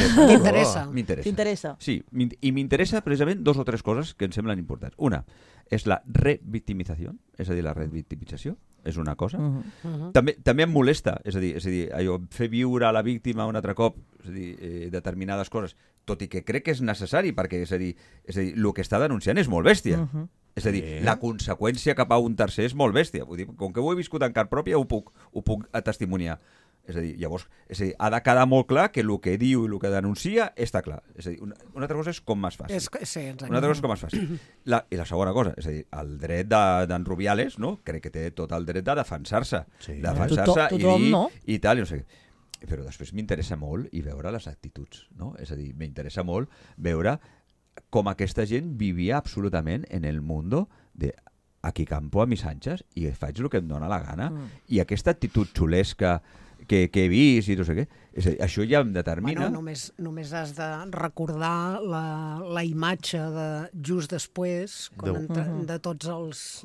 M'interessa. Sí, i m'interessa precisament 2 o 3 coses que em semblen importants. Una és la revictimització, és a dir, la revictimització, és una cosa. També em molesta, és a dir, allò, fer viure a la víctima un altre cop, és a dir, determinades coses, tot i que crec que és necessari, perquè és a dir, el que està denunciant és molt bèstia. És a dir, la conseqüència cap a un tercer és molt bèstia. Vull dir, com que ho he viscut en carn pròpia, ho puc testimoniar. És a dir, llavors, ha de quedar molt clar que el que diu i el que denuncia està clar. És a dir, una altra cosa és com es faci. Una altra cosa és com es faci. I la segona cosa, és a dir, el dret d'en Rubiales, no? Crec que té tot el dret de defensar-se. Defensar-se i dir i tal, i no sé què. Però després m'interessa molt i veure les actituds, no? És a dir, m'interessa molt veure com aquesta gent vivia absolutament en el mundo de aquí campo a mis anchas i faig el que em dóna la gana. I aquesta actitud xulesca que he vist i no sé què, és a dir, això ja em determina... Només has de recordar la imatge de just després, de tots els...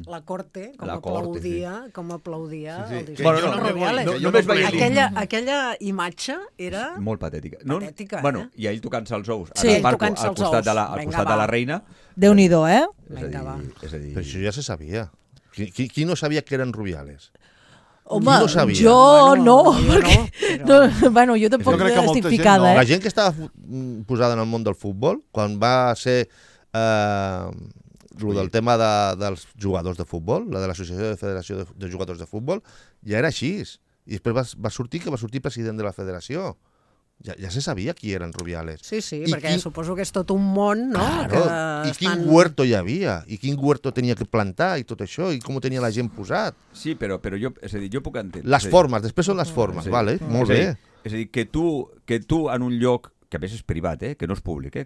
la corte, com aplaudia el discurs de Rubiales. Aquella imatge era... Molt patètica. Patètica, I ell tocant-se els ous al costat de la reina. Déu-n'hi-do, eh? Però això ja se sabia. Qui no sabia que eren Rubiales? Home, jo no, perquè... Bueno, jo tampoc estic ficada, La gent que estava posada en el món del futbol, quan va ser del tema dels jugadors de futbol, la de l'Associació de Federació de Jugadors de Futbol, ja era així. I després va sortir president de la federació. Ja se sabia qui eren Rubiales. Sí, perquè suposo que és tot un món, no? I quin huerto hi havia, i quin huerto tenia que plantar, i tot això, i com ho tenia la gent posat. Sí, però jo, és a dir, jo puc entendre. Les formes, després són les formes, vale? Molt bé. És a dir, que tu en un lloc, que a més és privat, que no és públic, que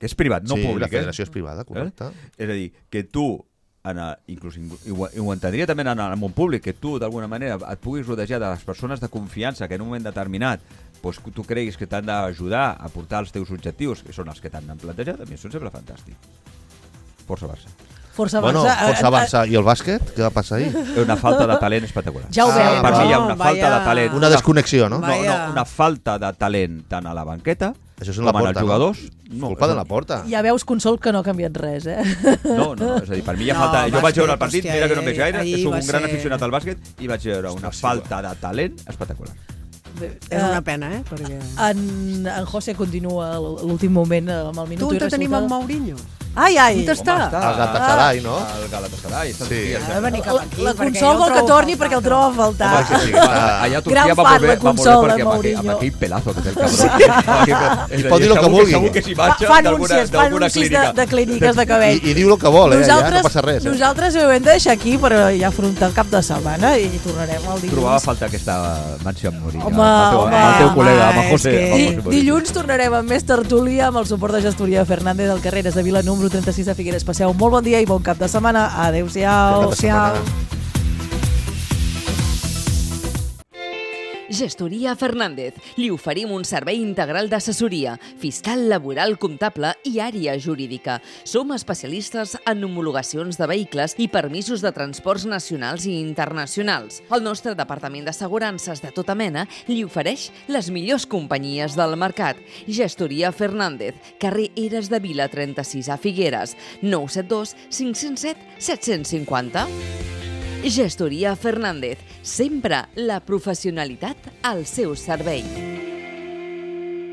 és privat, no públic. Sí, la federació és privada, correcte. És a dir, que tu... inclús ho entendria també en el món públic, que tu d'alguna manera et puguis rodejar de les persones de confiança que en un moment determinat tu creguis que t'han d'ajudar a portar els teus objectius, que són els que t'han plantejat, a mi això em sembla fantàstic. Força Barça. Força Barça. Força Barça. I el bàsquet? Què va passar ahir? Una falta de talent espectacular. Ja ho veu. Per mi hi ha una falta de talent. Una desconnexió, no? No, una falta de talent tant a la banqueta com en els jugadors. Culpa de la porta. Ja veus, Consol, que no ha canviat res, eh? No, és a dir, per mi hi ha falta... Jo vaig veure el partit, mira que no em veig gaire, soc un gran aficionat al bàsquet i vaig veure una falta de talent espectacular. És una pena, perquè... En José continua l'últim moment amb el minut i resulta. Tu on tenim en Mourinho? Ai, on està? El Galatasaray, no? El Galatasaray. Ha de venir cap aquí. La Consol vol que torni perquè el troba a faltar. Allà a Turquia va molt bé perquè amb aquell pelazo que té el cabró. I pot dir el que vulgui. Segur que s'hi marxa d'alguna clínica. De clíniques de cabell. I diu el que vol, allà no passa res. Nosaltres ho hem de deixar aquí per ja afrontar el cap de setmana i tornarem el dilluns. Trobava a falta aquesta manxa amb Mourinho. Home, el teu col·lega, amb el José. Dilluns tornarem amb més tertúlia amb el suport de gestoria Fernández del Carreras de Vila número 36 de Figueres. Passeu un molt bon dia i bon cap de setmana. Adéu-siau. Gestoria Fernández. Li oferim un servei integral d'assessoria, fiscal, laboral, comptable i àrea jurídica. Som especialistes en homologacions de vehicles i permisos de transports nacionals i internacionals. El nostre departament d'assegurances de tota mena li ofereix les millors companyies del mercat. Gestoria Fernández, carrer Eres de Vila 36 a Figueres, 972 507 750. Gestoria Fernández, sempre la professionalitat al seu servei.